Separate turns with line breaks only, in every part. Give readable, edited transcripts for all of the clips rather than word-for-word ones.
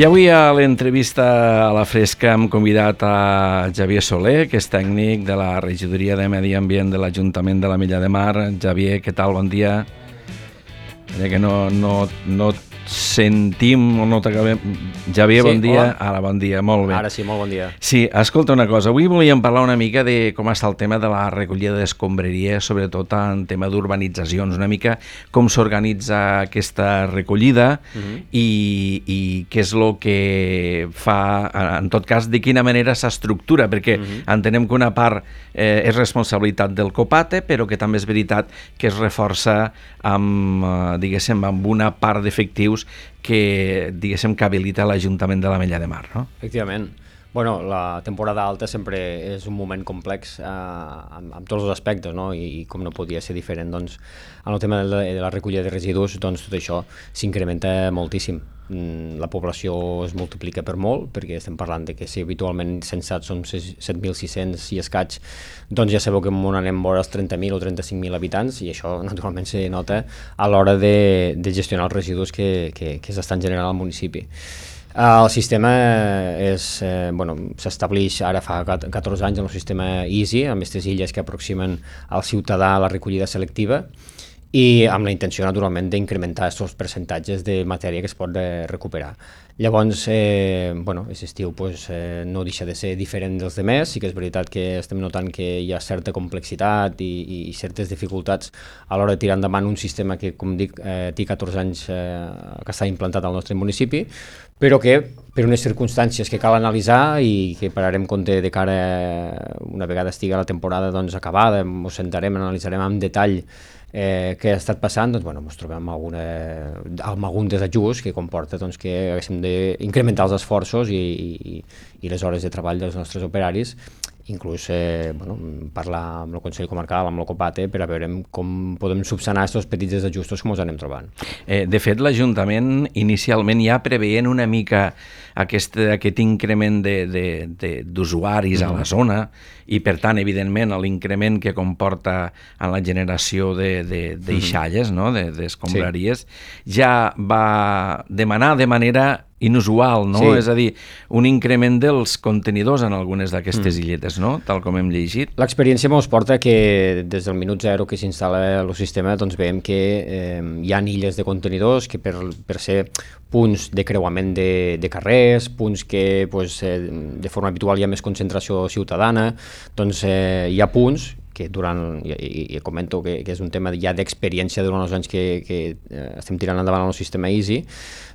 I avui a l'entrevista a la Fresca hem convidat a Xavier Soler, que és tècnic de la Regidoria de Medi Ambient de l'Ajuntament de l'Ametlla de Mar. Xavier, què tal? Bon dia. Que no sentim o no t'acabem... Xavier, bon dia.
Hola.
Ara, bon dia, molt bé.
Ara sí, molt bon dia.
Sí, escolta una cosa, avui volíem parlar una mica de com està el tema de la recollida d'escombraria, sobretot en tema d'urbanitzacions, una mica com s'organitza aquesta recollida i què és el que fa, en tot cas, de quina manera s'estructura, perquè entenem que una part és responsabilitat del COPATE, però que també és veritat que es reforça amb, diguéssim, amb una part d'efectius que, diguéssim, que habilita l'Ajuntament de l'Ametlla de Mar, no?
Efectivament. Bueno, la temporada alta sempre és un moment complex amb tots els aspectes, no? I com no podia ser diferent, doncs, en el tema de la recollida de residus, doncs tot això s'incrementa moltíssim. La població es multiplica per molt, perquè estem parlant de que si habitualment censats som 7.600 i escaig, doncs ja sabeu que on anem vora els 30.000 o 35.000 habitants, i això naturalment se nota a l'hora de gestionar els residus que s'estan generant al municipi. El sistema s'estableix ara fa 14 anys en el sistema EASY, amb aquestes illes que aproximen al ciutadà a la recollida selectiva, i amb la intenció, naturalment, d'incrementar aquests percentatges de matèria que es pot recuperar. Llavors, aquest estiu no deixa de ser diferent dels demés, sí que és veritat que estem notant que hi ha certa complexitat i certes dificultats a l'hora de tirar endavant un sistema que, com dic, té 14 anys que està implantat al nostre municipi, però que per unes circumstàncies que cal analitzar i que pararem compte de cara una vegada estigui la temporada acabada, ens sentarem, analitzarem amb detall què ha estat passant, doncs ens trobem amb algun desajust que comporta que haguéssim d'incrementar els esforços i les hores de treball dels nostres operaris, inclús parlar amb el Consell Comarcal, amb el COPATE, per a veure com podem subsanar aquests petits desajustos com els anem trobant.
De fet, l'Ajuntament inicialment ja preveien una mica aquest increment d'usuaris a la zona i, per tant, evidentment, l'increment que comporta en la generació d'eixalles, d'escombraries, ja va demanar de manera inusual, no? Sí. És a dir, un increment dels contenidors en algunes d'aquestes illetes, no? Tal com hem llegit.
L'experiència ens porta que des del minut zero que s'instal·la el sistema doncs veiem que hi ha illes de contenidors que per ser punts de creuament de carrers, punts que de forma habitual hi ha més concentració ciutadana, doncs hi ha punts que i comento que és un tema ja d'experiència durant els anys que estem tirant endavant el sistema EASY,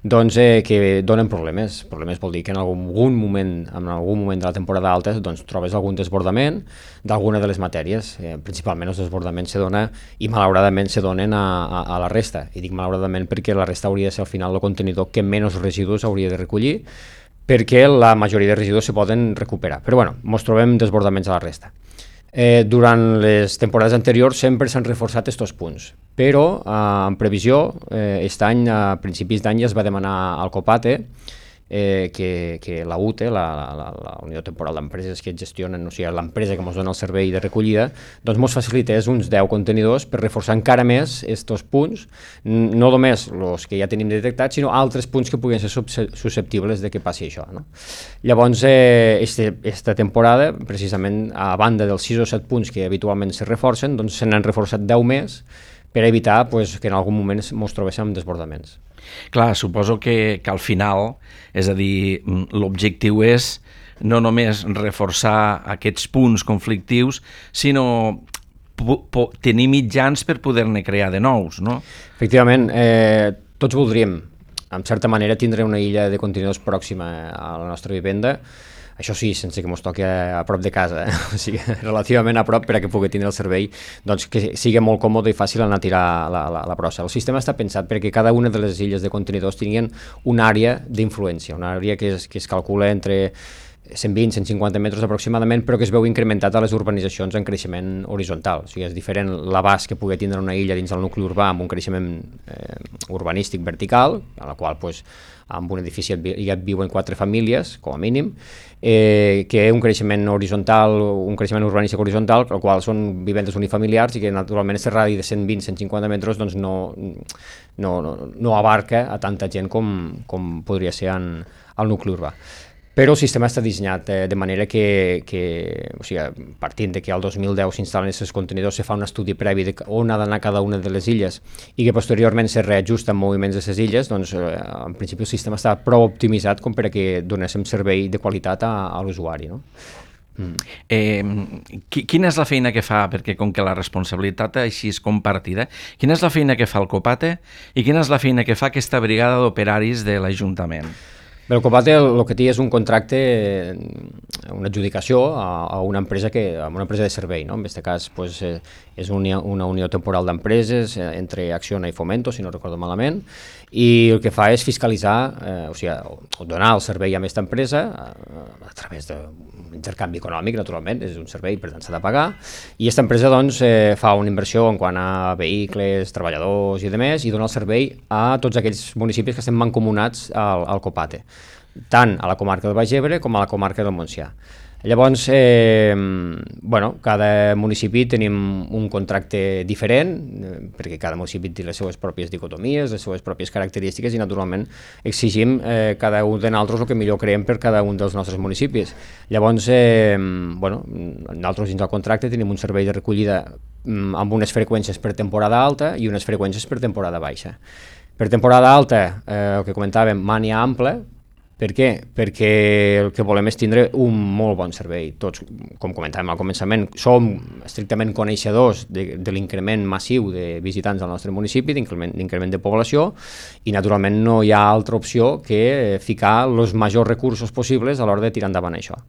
doncs que donen problemes. Problemes vol dir que en algun moment de la temporada alta doncs trobes algun desbordament d'alguna de les matèries. Principalment els desbordaments se donen i malauradament se donen a la resta. I dic malauradament perquè la resta hauria de ser al final el contenidor que menys residus hauria de recollir, perquè la majoria de residus se poden recuperar. Però ens trobem desbordaments a la resta. Durant les temporades anteriors sempre s'han reforçat aquests punts, però en previsió, aquest any, a principis d'any, es va demanar al COPATE que la UTE, la Unió Temporal d'Empreses que gestionen, o sigui, l'empresa que ens dona el servei de recollida, doncs ens facilités uns 10 contenidors per reforçar encara més aquests punts, no només els que ja tenim detectats, sinó altres punts que puguin ser susceptibles de que passi això, no? Llavors, aquesta temporada, precisament, a banda dels 6 o 7 punts que habitualment se reforcen, doncs se n'han reforçat 10 més per evitar que en algun moment ens trobéssim amb desbordaments.
Clar, suposo que al final, és a dir, l'objectiu és no només reforçar aquests punts conflictius, sinó tenir mitjans per poder-ne crear de nous, no?
Efectivament, tots voldríem, en certa manera, tindre una illa de contenidors pròxima a la nostra vivenda. Això sí, sense que ens toqui a prop de casa, o sigui, relativament a prop per a que pugui tindre el servei, doncs que sigui molt còmode i fàcil anar a tirar la brossa. El sistema està pensat perquè cada una de les illes de contenidors tinguin una àrea d'influència, una àrea que es calcula entre 120-150 metres aproximadament, però que es veu incrementat a les urbanitzacions en creixement horitzontal. O sigui, és diferent l'abast que pugui tindre una illa dins del nucli urbà amb un creixement urbanístic vertical, a la qual pues, en un edifici ja viuen 4 famílies, com a mínim, que un creixement horitzontal, un creixement urbanístic horitzontal, el qual són vivendes unifamiliars i que naturalment aquest radi de 120-150 metres doncs, no abarca a tanta gent com podria ser al nucli urbà. Però el sistema està dissenyat de manera que o sigui, partint de que al 2010 s'instal·len aquests contenidors, se fa un estudi previ de on ha d'anar cada una de les illes i que posteriorment se reajusta en moviments d'aquestes illes, doncs en principi el sistema està prou optimitzat com per a que donéssim servei de qualitat a l'usuari, no?
Quina és la feina que fa, perquè com que la responsabilitat així és compartida, quina és la feina que fa el Copate i quina és la feina que fa aquesta brigada d'operaris de l'Ajuntament?
Bé, el Copate el que té és un contracte, una adjudicació a una empresa de servei, no? En aquest cas pues, és una unió temporal d'empreses entre Acciona i Fomento, si no recordo malament, i el que fa és fiscalitzar, o sigui, donar el servei a aquesta empresa a través d'un intercanvi econòmic, naturalment, és un servei, per tant s'ha de pagar, i aquesta empresa doncs, fa una inversió en quant a vehicles, treballadors i demés, i dona el servei a tots aquells municipis que estem mancomunats al Copate, tant a la comarca del Baix Ebre com a la comarca del Montsià. Llavors, cada municipi tenim un contracte diferent, perquè cada municipi té les seues pròpies dicotomies, les seues pròpies característiques i, naturalment, exigim cada un de nosaltres el que millor creiem per cada un dels nostres municipis. Llavors, nosaltres dins del contracte tenim un servei de recollida amb unes freqüències per temporada alta i unes freqüències per temporada baixa. Per temporada alta, el que comentàvem, mània ampla. Per què? Perquè el que volem és tindre un molt bon servei. Tots, com comentàvem al començament, som estrictament coneixedors de l'increment massiu de visitants al nostre municipi, d'increment de població, i naturalment no hi ha altra opció que ficar els majors recursos possibles a l'hora de tirar endavant això.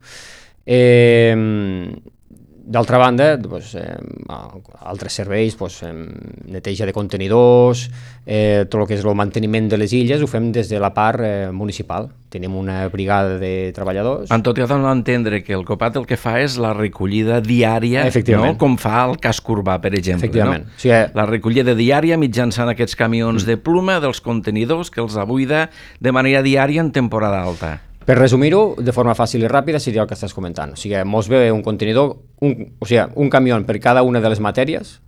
D'altra banda, altres serveis, neteja de contenidors, tot el que és el manteniment de les illes, ho fem des de la part municipal. Tenim una brigada de treballadors.
En tot, jo dono a entendre que el Copat el que fa és la recollida diària, no? Com fa el casc urbà, per exemple.
Efectivament.
No? O sigui, la recollida diària mitjançant aquests camions de pluma dels contenidors que els abuida de manera diària en temporada alta.
Per resumir-ho, de forma fàcil i ràpida, seria el que estàs comentant. O sigui, mos ve un contenidor, un camió per cada una de les matèries.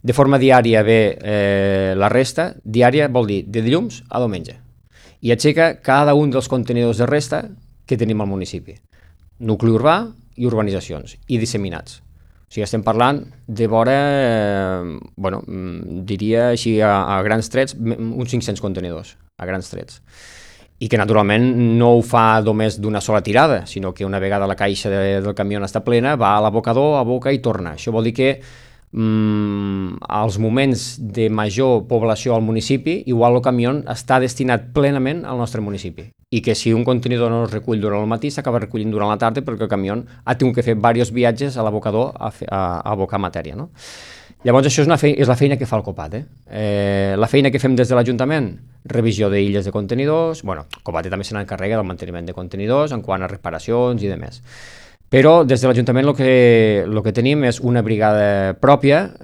De forma diària ve la resta. Diària vol dir de dilluns a diumenge. I aixeca cada un dels contenidors de resta que tenim al municipi. Nucli urbà i urbanitzacions, i disseminats. O sigui, estem parlant de vora, diria així a grans trets, uns 500 contenidors, a grans trets. I que naturalment no ho fa només d'una sola tirada, sinó que una vegada la caixa del camió està plena, va a l'abocador, aboca i torna. Això vol dir que als moments de major població al municipi, igual el camió està destinat plenament al nostre municipi. I que si un contenidor no es recull durant el matí, s'acaba recollint durant la tarda perquè el camió ha tingut que fer diversos viatges a l'abocador a abocar matèria, no? Llavors, això és la feina que fa el Copat. La feina que fem des de l'Ajuntament, revisió d'illes de contenidors, el Copat també se n'encarrega del manteniment de contenidors en quant a reparacions i demés. Però des de l'Ajuntament el que tenim és una brigada pròpia,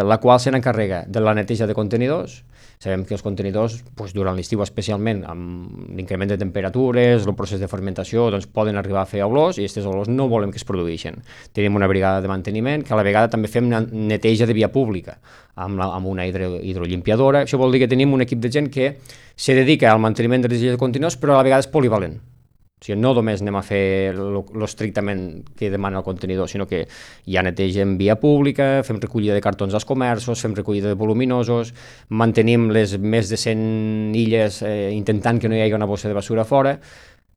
la qual se n'encarrega de la neteja de contenidors. Sabem que els contenidors, durant l'estiu especialment, amb l'increment de temperatures, el procés de fermentació, poden arribar a fer olors i aquestes olors no volem que es produeixin. Tenim una brigada de manteniment que a la vegada també fem neteja de via pública amb una hidrolimpiadora. Això vol dir que tenim un equip de gent que se dedica al manteniment de les illes de contenidors, però a la vegada és polivalent. O sigui, no només anem a fer l'estrictament que demana el contenidor, sinó que ja netegem via pública, fem recollida de cartons als comerços, fem recollida de voluminosos, mantenim les més de 100 illes intentant que no hi hagi una bossa de basura fora,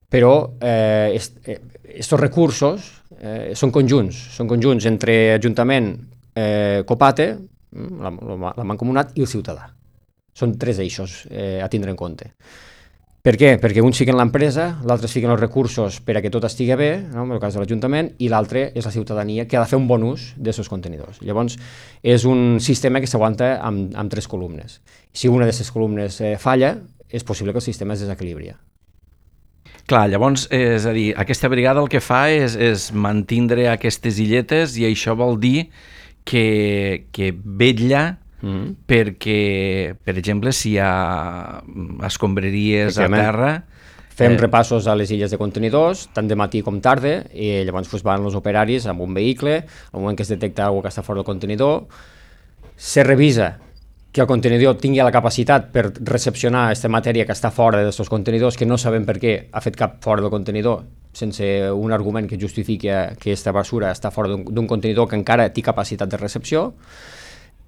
però aquests recursos són conjunts entre Ajuntament, Copate, la Mancomunat i el ciutadà. Són 3 eixos a tindre en compte. Per què? Perquè uns fiquen l'empresa, l'altre fiquen els recursos per a que tot estigui bé, no? En el cas de l'Ajuntament, i l'altre és la ciutadania que ha de fer un bon ús d'aquests contenidors. Llavors, és un sistema que s'aguanta amb 3 columnes. Si una d'aquestes columnes falla, és possible que el sistema es desequilibri.
Clar, llavors, és a dir, aquesta brigada el que fa és mantindre aquestes illetes i això vol dir que vetlla perquè, per exemple, si hi ha escombraries a terra...
Fem repassos a les illes de contenidors, tant de matí com tarda, i llavors van els operaris amb un vehicle, al moment que es detecta alguna que està fora del contenidor, se revisa que el contenidor tingui la capacitat per recepcionar aquesta matèria que està fora d'aquests contenidors, que no sabem per què ha fet cap fora del contenidor, sense un argument que justifiqui que aquesta basura està fora d'un contenidor que encara té capacitat de recepció,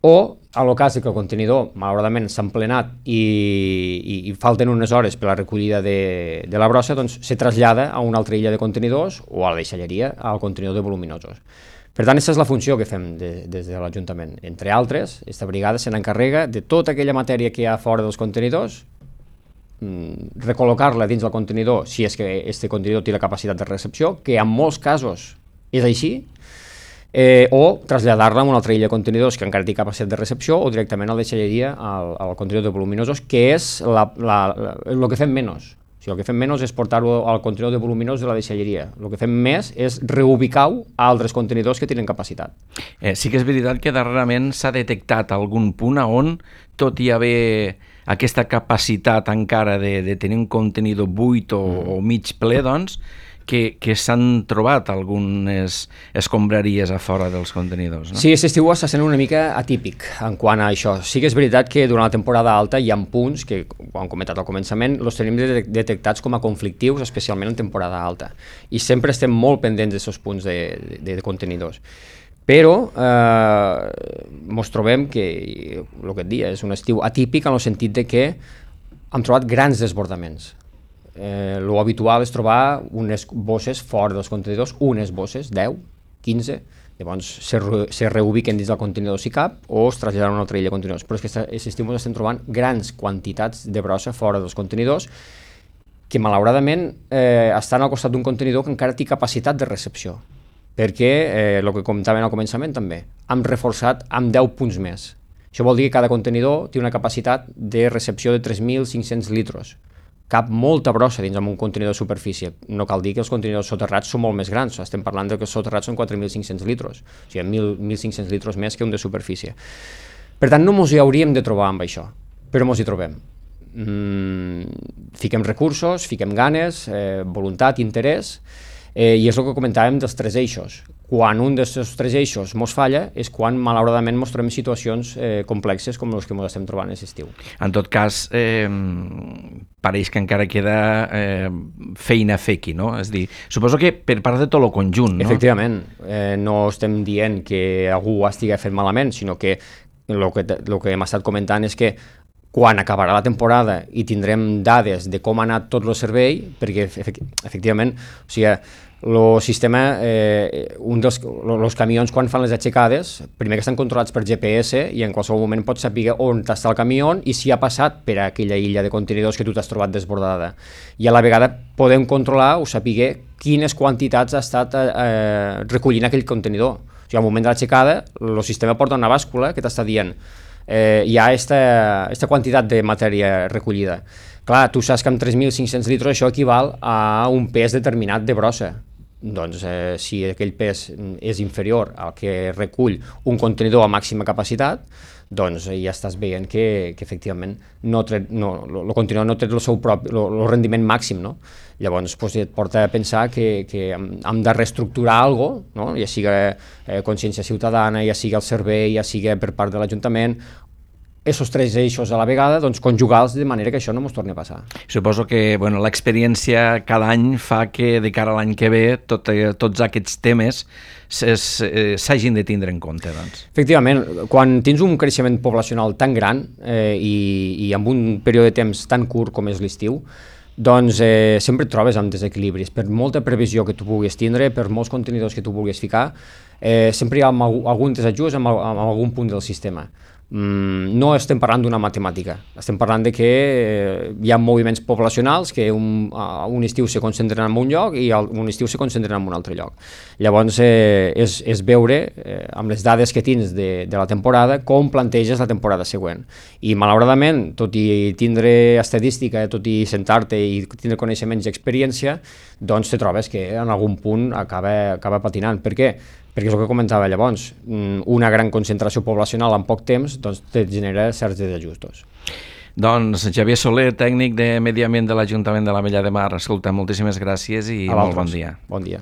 o, a el cas que el contenidor, malauradament, s'ha emplenat i falten unes hores per la recollida de la brossa, doncs se trasllada a una altra illa de contenidors o a la deixalleria al contenidor de voluminosos. Per tant, aquesta és la funció que fem des de l'Ajuntament. Entre altres, aquesta brigada se n'encarrega de tota aquella matèria que hi ha fora dels contenidors, recol·locar-la dins del contenidor si és que aquest contenidor té la capacitat de recepció, que en molts casos és així, o traslladar-la a una altra illa de contenidors que encara té capacitat de recepció o directament a la deixalleria al contenidor de voluminosos, que és el que fem menys. O sigui, el que fem menys és portar-ho al contenidor de voluminosos de la deixalleria. El que fem més és reubicar-ho a altres contenidors que tenen capacitat.
Sí que és veritat que darrerament s'ha detectat algun punt on, tot i haver aquesta capacitat encara de tenir un contenidor buit o mig ple, doncs, que s'han trobat algunes escombraries a fora dels contenidors, no?
Sí, aquest estiu està sent una mica atípic en quant a això. Sí que és veritat que durant la temporada alta hi ha punts que, ho hem comentat al començament, els tenim detectats com a conflictius, especialment en temporada alta. I sempre estem molt pendents d'aquests punts de contenidors. Però ens trobem que, el que et dia, és un estiu atípic en el sentit de que hem trobat grans desbordaments. Lo habitual és trobar unes bosses fora dels contenidors, unes bosses, 10, 15, llavors se reubiquen dins del contenidor si cap o es traslladen a una altra illa de contenidors. Però és que aquest estiu estem trobant grans quantitats de brossa fora dels contenidors que malauradament estan al costat d'un contenidor que encara té capacitat de recepció, perquè el que comentàvem al començament també, hem reforçat amb 10 punts més. Això vol dir que cada contenidor té una capacitat de recepció de 3.500 litres. Cap molta brossa dins d'un contenidor de superfície. No cal dir que els contenidors soterrats són molt més grans, estem parlant que els soterrats són 4.500 litres, o sigui, 1.500 litres més que un de superfície. Per tant, no ens hi hauríem de trobar amb això, però ens hi trobem. Fiquem recursos, fiquem ganes, voluntat, interès, i és el que comentàvem dels 3 eixos. Quan un d'aquests 3 eixos ens falla és quan malauradament ens trobem situacions complexes com les que ens estem trobant aquest estiu.
En tot cas, pareix que encara queda feina a fer aquí, no? És a dir, suposo que per part de tot el conjunt, no?
Efectivament, no estem dient que algú ho estigui fent malament, sinó que el que hem estat comentant és que quan acabarà la temporada i tindrem dades de com ha anat tot el servei, perquè efectivament, o sigui, el sistema, els camions quan fan les aixecades, primer que estan controlats per GPS i en qualsevol moment pots saber on està el camió i si ha passat per aquella illa de contenidors que tu t'has trobat desbordada. I a la vegada podem controlar o saber quines quantitats ha estat recollint aquell contenidor. O sigui, al moment de l'aixecada, el sistema porta una bàscula que t'està dient hi ha aquesta quantitat de matèria recollida. Clar, tu saps que amb 3.500 litres això equival a un pes determinat de brossa. Doncs si aquell pes és inferior al que recull un contenidor a màxima capacitat, doncs ja estàs veient que efectivament el contenidor no té el seu propi el rendiment màxim, no? Llavors et porta a pensar que hem de reestructurar alguna cosa, no? Ja sigui consciència ciutadana, ja sigui el servei, ja sigui per part de l'Ajuntament, aquests 3 eixos a la vegada, doncs conjugar-los de manera que això no ens torni a passar.
Suposo que l'experiència cada any fa que de cara a l'any que ve tots aquests temes s'hagin de tindre en compte, doncs.
Efectivament, quan tens un creixement poblacional tan gran i amb un període de temps tan curt com és l'estiu, doncs sempre et trobes amb desequilibris. Per molta previsió que tu puguis tindre, per molts contenidors que tu vulguis ficar, sempre hi ha algun desajust amb algun punt del sistema. No estem parlant d'una matemàtica, estem parlant de que hi ha moviments poblacionals que un estiu se concentren en un lloc i un estiu se concentren en un altre lloc. Llavors és veure amb les dades que tens de la temporada com planteges la temporada següent. I malauradament, tot i tindre estadística, tot i sentar-te i tindre coneixements i experiència, doncs te trobes que en algun punt acaba patinant. Per què? perquè és el que comentava llavors, una gran concentració poblacional en poc temps doncs te genera certs desajustos.
Doncs Xavier Soler, tècnic de Medi Ambient de l'Ajuntament de l'Ametlla de Mar, escolta, moltíssimes gràcies i molt bon dia.
Bon dia.